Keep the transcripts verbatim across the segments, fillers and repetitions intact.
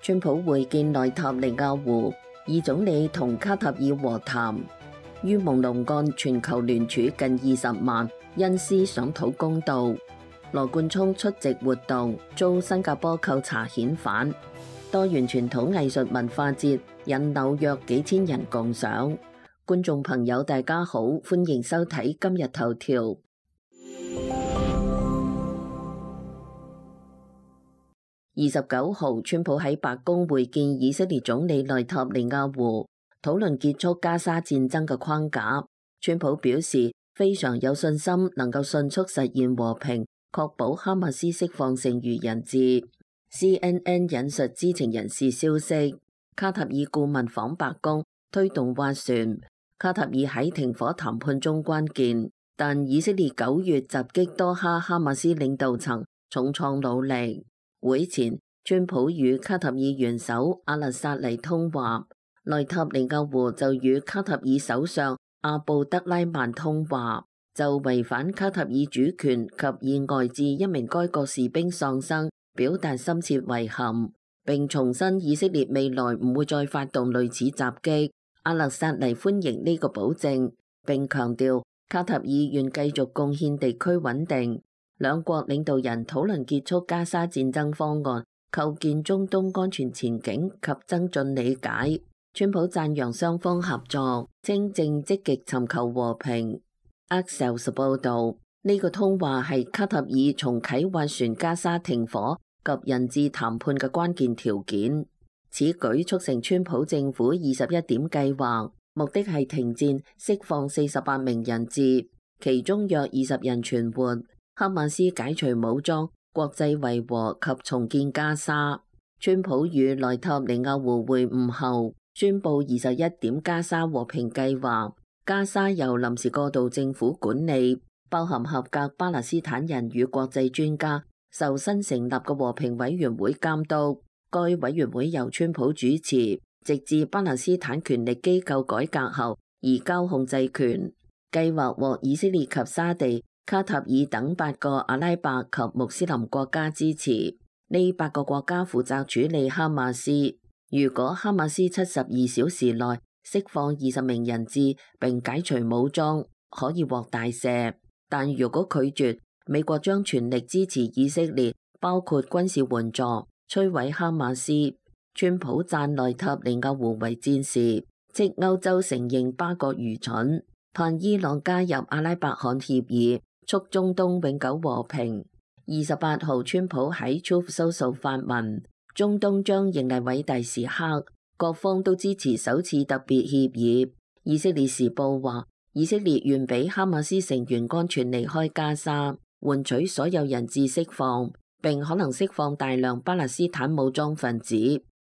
川普會見內塔尼亞胡，以總理同卡塔爾和談。於蒙龍案全球聯署近二十萬，恩斯想討公道。羅冠聰出席活動，遭新加坡扣查遣返。多元傳統藝術文化節引紐約幾千人共賞。觀眾朋友大家好，歡迎收睇今日頭條。二十九號，川普喺白宮會見以色列總理內塔尼亞胡，討論結束加沙戰爭嘅框架。川普表示非常有信心能夠迅速實現和平，確保哈馬斯釋放剩餘人質。C N N 引述知情人士消息，卡塔爾顧問訪白宮推動斡旋。卡塔爾喺停火談判中關鍵，但以色列九月襲擊多哈哈馬斯領導層，重創努力。會前，川普與卡塔爾元首阿勒薩尼通話，內塔尼亞胡就與卡塔爾首相阿布德拉曼通話，就違反卡塔爾主權及意外致一名該國士兵喪生表達深切遺憾，並重申以色列未來唔會再發動類似襲擊。阿勒薩尼歡迎呢個保證，並強調卡塔爾願繼續貢獻地區穩定。兩國領導人討論結束加沙戰爭方案、構建中東安全前景及增進理解。川普讚揚雙方合作，稱正積極尋求和平。Axios 報道，呢、這個通話係卡塔爾重啟斡旋加沙停火及人質談判嘅關鍵條件。此舉促成川普政府二十一點計劃，目的係停戰、釋放四十八名人質，其中約二十人存活。哈馬斯解除武裝、國際維和及重建加沙。川普與內塔尼亞胡會晤後，宣布二十一點加沙和平計劃。加沙由臨時過渡政府管理，包含合格巴勒斯坦人與國際專家，受新成立嘅和平委員會監督。該委員會由川普主持，直至巴勒斯坦權力機構改革後移交控制權。計劃獲以色列及沙地、卡塔爾等八個阿拉伯及穆斯林國家支持，呢八個國家負責處理哈馬斯。如果哈馬斯七十二小時內釋放二十名人質並解除武裝，可以獲大赦。但如果拒絕，美國將全力支持以色列，包括軍事援助，摧毀哈馬斯。川普讚內塔尼亞胡為戰士，即歐洲承認巴國愚蠢，盼伊朗加入阿拉伯罕協議，促中東永久和平。二十八號，川普喺 Truth Social 發文，中東將迎嚟偉大時刻，各方都支持首次特別協議。以色列時報話，以色列願俾哈馬斯成員安全離開加沙，換取所有人質釋放，並可能釋放大量巴勒斯坦武裝分子。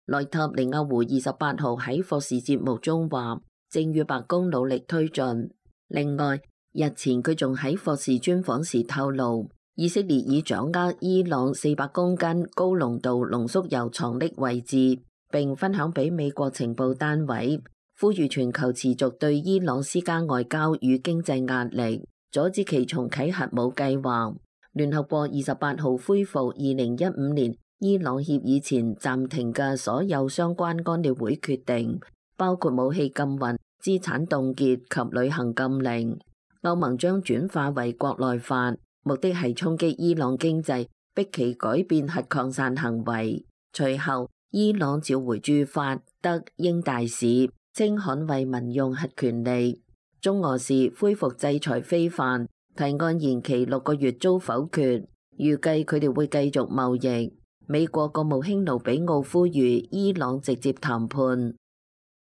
內塔尼亞胡二十八號喺霍士節目中話，正與白宮努力推進。另外，日前佢仲喺霍士專訪時透露，以色列已掌握伊朗四百公斤高濃度濃縮鈾藏匿位置，並分享俾美國情報單位，呼籲全球持續對伊朗施加外交與經濟壓力，阻止其重啟核武計劃。聯合國二十八號恢復二零一五年伊朗協議前暫停嘅所有相關安理會決定，包括武器禁運、資產凍結及旅行禁令。歐盟將轉化為國內法，目的係衝擊伊朗經濟，逼其改變核擴散行為。隨後，伊朗召回駐法、德、英大使，稱捍衛民用核權利。中俄時恢復制裁非法提案延期六個月遭否決，預計佢哋會繼續貿易。美國國務卿盧比奧呼籲伊朗直接談判。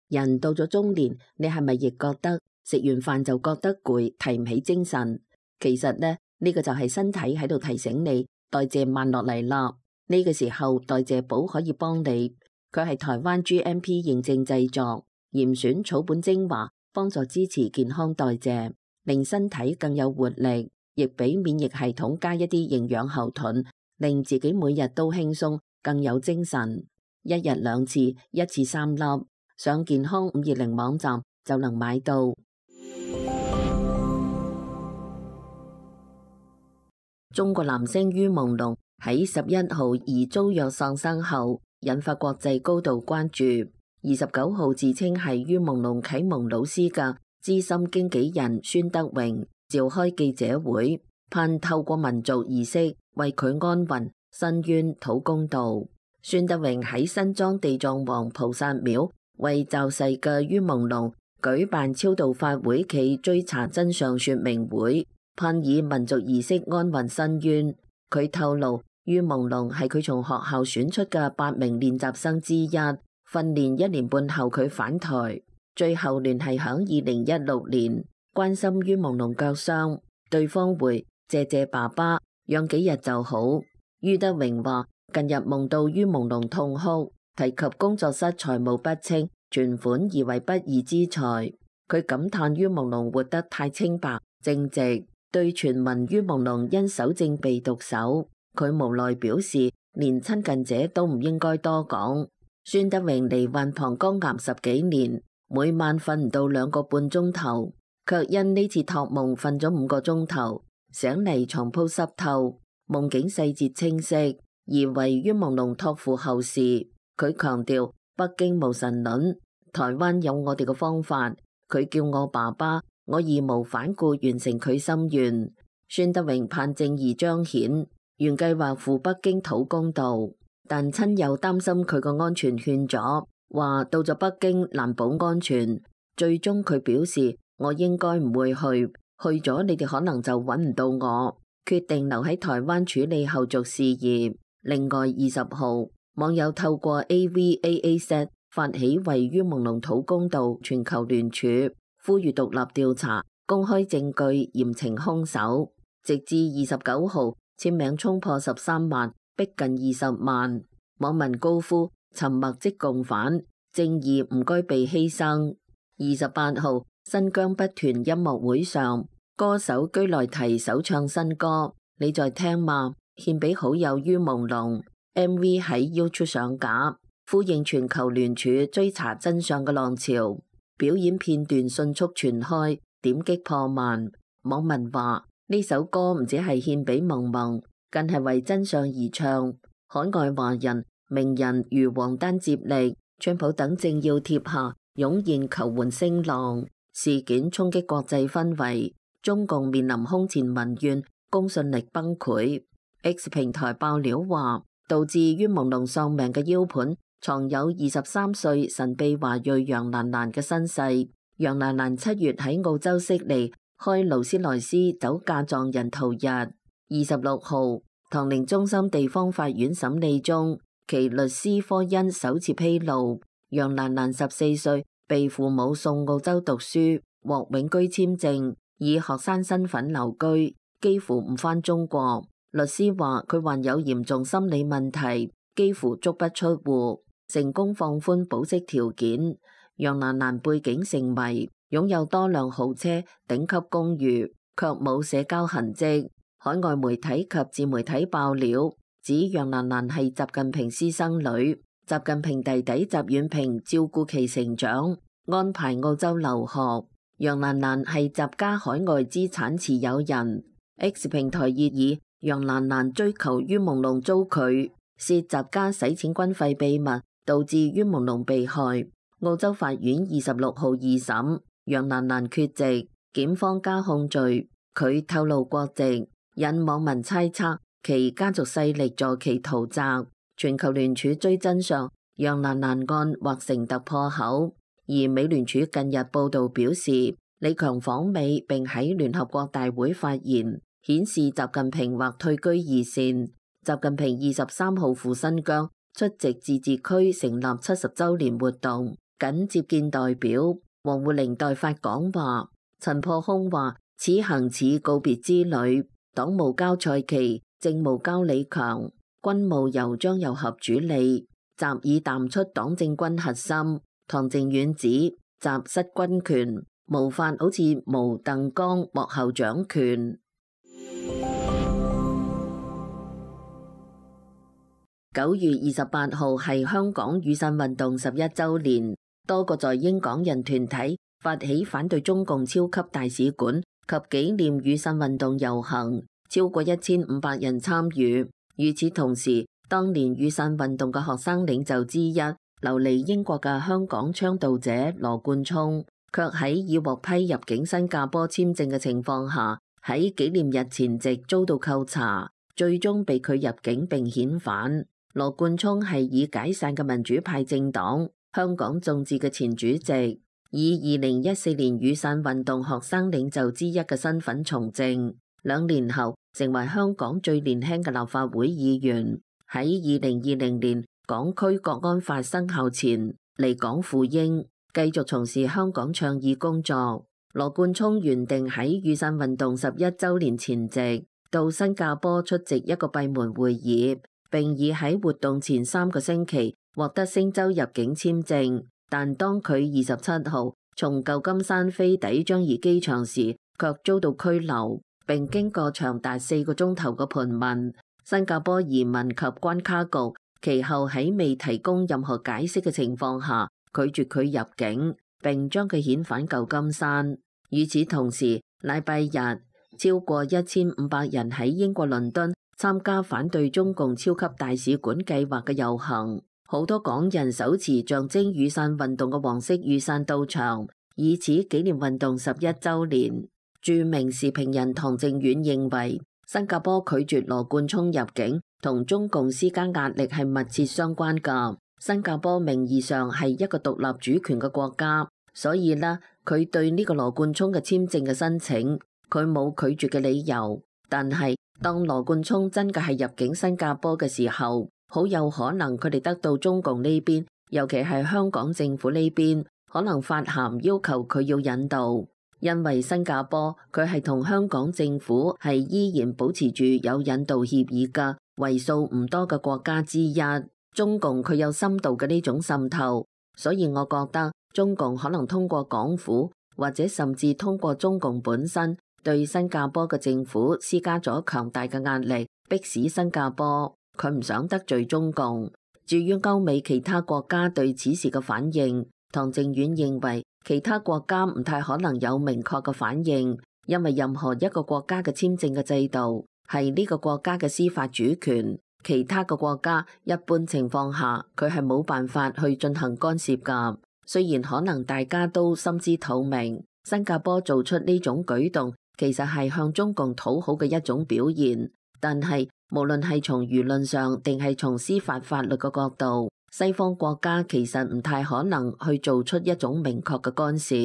人到咗中年，你係咪亦覺得食完飯就覺得攰，提唔起精神？其實呢，呢個就係身體喺度提醒你代謝慢落嚟啦。呢個時候代謝寶可以幫你，佢係台灣 G M P 認證製作，嚴選草本精華，幫助支持健康代謝，令身體更有活力，亦俾免疫系統加一啲營養後盾，令自己每日都輕鬆，更有精神。一日兩次，一次三粒，上健康五二零網站就能買到。中國男星于朦朧喺十一號疑遭虐喪生後，引發國際高度關注。二十九號自稱係于朦朧啟蒙老師嘅資深經紀人孫德榮召開記者會，盼透過民族儀式為佢安魂申冤討公道。孫德榮喺新莊地藏王菩薩廟為驟逝嘅于朦朧舉辦超度法會暨追查真相說明會，盼以民族儀式安魂申冤。佢透露，于朦朧係佢從學校選出嘅八名練習生之一，訓練一年半後佢返台，最後聯繫響二零一六年，關心于朦朧腳傷，對方回謝謝爸爸，養幾日就好。于德榮話近日夢到于朦朧痛哭，提及工作室財務不清，存款疑為不義之財。佢感嘆于朦朧活得太清白正直，對傳聞于朦朧因手證被毒手，佢無奈表示連親近者都唔應該多講。孫德榮罹患膀胱癌十幾年，每晚瞓唔到兩個半鐘頭，卻因呢次託夢瞓咗五個鐘頭，醒嚟床鋪濕透，夢境細節清晰，而為于朦朧託付後事。佢強調北京無神論，台灣有我哋嘅方法。佢叫我爸爸，我義無反顧完成佢心願。孫德榮盼正義彰顯，原計劃赴北京討公道，但親友擔心佢個安全勸阻，話到咗北京難保安全。最終佢表示，我應該唔會去，去咗你哋可能就揾唔到我，決定留喺台灣處理後續事業。另外二十號，網友透過 A V A A Z發起為于朦朧討公道全球聯署，呼籲獨立調查，公開證據，嚴懲兇手。直至二十九號，簽名衝破十三萬，逼近二十萬。網民高呼沉默即共犯，正義唔該被犧牲。二十八號，新疆北團音樂會上，歌手居內提首唱新歌，你在聽嗎？獻俾好友于朦朧。M V 喺 YouTube 上架，呼應全球聯署追查真相嘅浪潮。表演片段迅速傳開，點擊破萬。網民話呢首歌唔止係獻俾萌萌，更係為真相而唱。海外華人名人如王丹接力、川普等政要貼下湧現求援聲浪，事件衝擊國際氛圍，中共面臨空前民怨，公信力崩潰。X 平台爆料話，導致于朦朧喪命嘅 U 盤藏有二十三歲神秘華裔楊蘭蘭嘅身世。楊蘭蘭七月喺澳洲悉尼開勞斯萊斯酒駕撞人逃逸。二十六號，唐寧中心地方法院審理中，其律師科恩首次披露，楊蘭蘭十四歲被父母送澳洲讀書，獲永居簽證，以學生身份留居，幾乎唔返中國。律師話佢患有嚴重心理問題，幾乎足不出戶，成功放寬保釋條件。楊蘭蘭背景成謎，擁有多輛豪車、頂級公寓，卻冇社交痕跡。海外媒體及自媒體爆料，指楊蘭蘭係習近平私生女，習近平弟弟習遠平照顧其成長，安排澳洲留學。楊蘭蘭係習家海外資產持有人。X 平台熱議楊蘭蘭追求于朦朧遭拒，涉習家洗錢軍費秘密，導致于朦朧被害。澳洲法院二十六號二審，楊蘭蘭缺席，檢方加控罪，佢透露國籍，引網民猜測其家族勢力助其逃擲。全球聯署追真相，楊蘭蘭案或成突破口。而美聯儲近日報道表示，李強訪美並喺聯合國大會發言，顯示習近平或退居二線。習近平二十三號赴新疆出席自治區成立七十週年活動，緊接見代表。王滬寧代發講話，陳破空話此行似告別之旅，黨務交蔡奇，政務交李強，軍務由張又俠主理，習已淡出黨政軍核心。唐靖遠指習失軍權，無法好似毛鄧剛幕後掌權。九月二十八號係香港雨傘運動十一週年，多個在英港人團體發起反對中共超級大使館及紀念雨傘運動遊行，超過一千五百人參與。與此同時，當年雨傘運動嘅學生領袖之一、流離英國嘅香港倡導者羅冠聰，卻喺已獲批入境新加坡簽證嘅情況下，喺紀念日前夕遭到扣查，最終被拒入境並遣返。羅冠聰係已解散嘅民主派政黨香港眾志嘅前主席，以二零一四年雨傘運動學生領袖之一嘅身份從政，兩年後成為香港最年輕嘅立法會議員。喺二零二零年港區國安法生效前離港赴英，繼續從事香港倡議工作。羅冠聰原定喺雨傘運動十一週年前夕到新加坡出席一個閉門會議，並已喺活動前三個星期獲得星洲入境簽證，但當佢二十七號從舊金山飛抵樟宜機場時，卻遭到拘留，並經過長達四個鐘頭嘅盤問。新加坡移民及關卡局其後喺未提供任何解釋嘅情況下，拒絕佢入境，並將佢遣返舊金山。與此同時，禮拜日超過一千五百人喺英國倫敦參加反對中共超級大使館計劃嘅遊行，好多港人手持象徵雨傘運動嘅黃色雨傘到場，以此紀念運動十一週年。著名時評人唐靖遠認為，新加坡拒絕羅冠聰入境同中共施加壓力係密切相關㗎。新加坡名義上係一個獨立主權嘅國家，所以呢，佢對呢個羅冠聰嘅簽證嘅申請，佢冇拒絕嘅理由。但係當羅冠聰真嘅係入境新加坡嘅時候，好有可能佢哋得到中共呢邊，尤其係香港政府呢邊，可能發函要求佢要引渡。因為新加坡佢係同香港政府係依然保持住有引渡協議嘅為數唔多嘅國家之一，中共佢有深度嘅呢種滲透，所以我覺得中共可能通過港府或者甚至通過中共本身對新加坡嘅政府施加咗強大嘅壓力，迫使新加坡佢唔想得罪中共。至於歐美其他國家對此事嘅反應，唐靖遠認為其他國家唔太可能有明確嘅反應，因為任何一個國家嘅簽證嘅制度係呢個國家嘅司法主權，其他嘅國家一般情況下佢係冇辦法去進行干涉㗎。雖然可能大家都心知肚明，新加坡做出呢種舉動其實係向中共討好嘅一種表現，但係無論係從輿論上定係從司法法律嘅角度，西方國家其實唔太可能去做出一種明確嘅干涉。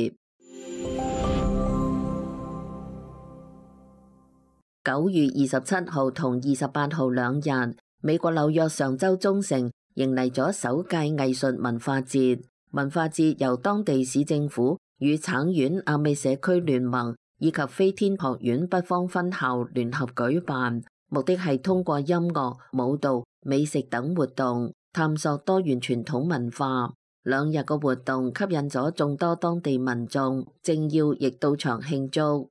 九月二十七號同二十八號兩日，美國紐約上州中城迎嚟咗首屆藝術文化節。文化節由當地市政府與橙縣亞美社區聯盟以及飛天學院北方分校聯合舉辦，目的係通過音樂、舞蹈、美食等活動，探索多元傳統文化。兩日嘅活動吸引咗眾多當地民眾，政要亦到場慶祝。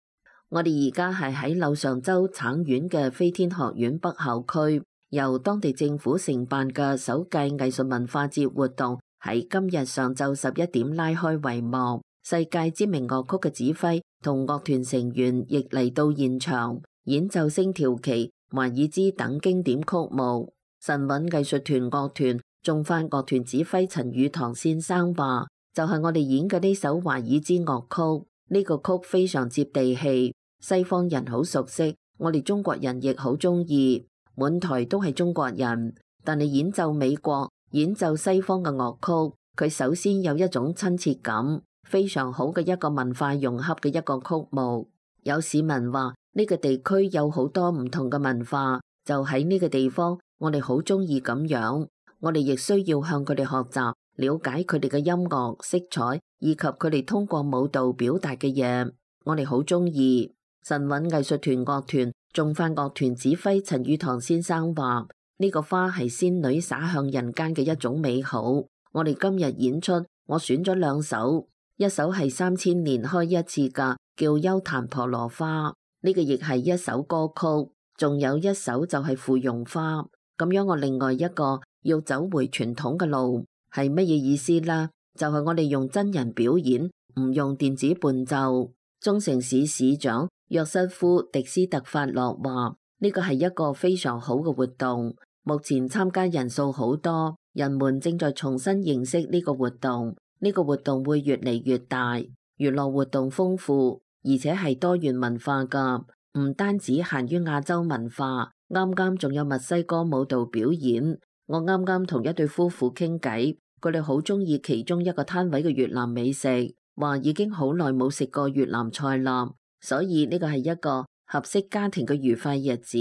我哋而家係喺紐上州橙縣嘅飛天學院北校區，由當地政府承辦嘅首屆藝術文化節活動喺今日上晝十一點拉開帷幕。世界知名樂曲嘅指揮同樂團成員亦嚟到現場，演奏星條旗、華爾茲等經典曲目。神韻藝術團樂團重發樂團指揮陳宇堂先生話，就係、是、我哋演嘅呢首華爾茲樂曲，呢、這個曲非常接地氣，西方人好熟悉，我哋中國人亦好中意，滿台都係中國人。但係演奏美國、演奏西方嘅樂曲，佢首先有一種親切感，非常好嘅一個文化融合嘅一個曲目。有市民話呢、這個地區有好多唔同嘅文化，就喺呢個地方，我哋好中意咁樣。我哋亦需要向佢哋學習，了解佢哋嘅音樂色彩，以及佢哋通過舞蹈表達嘅嘢。我哋好中意。神韻藝術團樂團重發樂團指揮陳宇堂先生話：呢、這個花係仙女灑向人間嘅一種美好。我哋今日演出，我選咗兩首，一首係三千年開一次噶，叫幽檀婆羅花，呢、這個亦係一首歌曲。仲有一首就係芙蓉花。咁樣我另外一個要走回傳統嘅路係乜嘢意思啦？就係、是、我哋用真人表演，唔用電子伴奏。中城市市長約瑟夫迪斯特法洛話：呢個係一個非常好嘅活動。目前參加人數好多，人們正在重新認識呢個活動。呢個活動會越嚟越大，娛樂活動豐富，而且係多元文化㗎，唔單止限於亞洲文化。啱啱仲有墨西哥舞蹈表演。我啱啱同一對夫婦傾偈，佢哋好鍾意其中一個攤位嘅越南美食，話已經好耐冇食過越南菜啦。所以呢個係一個合適家庭嘅愉快日子，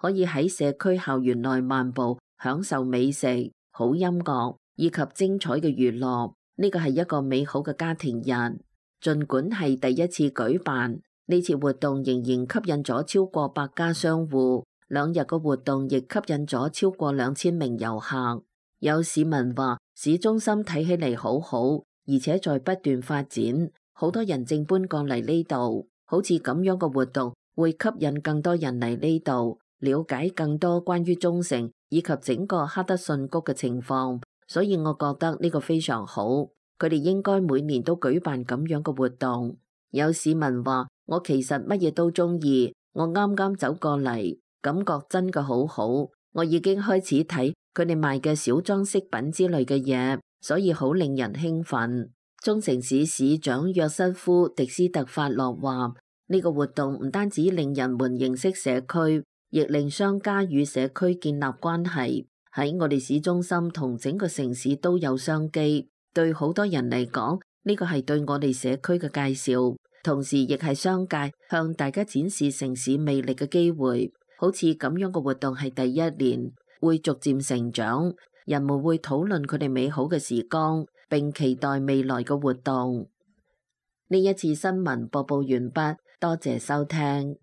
可以喺社區校園內漫步，享受美食、好音樂以及精彩嘅娛樂。呢個係一個美好嘅家庭日。儘管係第一次舉辦，呢次活動仍然吸引咗超過百家商戶。兩日嘅活動亦吸引咗超過兩千名遊客。有市民話，市中心睇起嚟好好，而且在不斷發展，好多人正搬過嚟呢度。好似咁樣嘅活動會吸引更多人嚟呢度，了解更多關於沖繩以及整個哈德遜谷嘅情況。所以我覺得呢個非常好，佢哋應該每年都舉辦咁樣嘅活動。有市民話，我其實乜嘢都中意，我啱啱走過嚟，感覺真嘅好好。我已經開始睇佢哋賣嘅小裝飾品之類嘅嘢，所以好令人興奮。沖繩市市長約瑟夫·迪斯特法洛話，呢個活動唔單止令人們認識社區，亦令商家與社區建立關係。喺我哋市中心同整個城市都有商機，對好多人嚟講，呢個係對我哋社區嘅介紹，同時亦係商界向大家展示城市魅力嘅機會。好似咁樣嘅活動係第一年，會逐漸成長，人們會討論佢哋美好嘅時光，並期待未來嘅活動。呢一次新聞播報完畢，多謝收聽。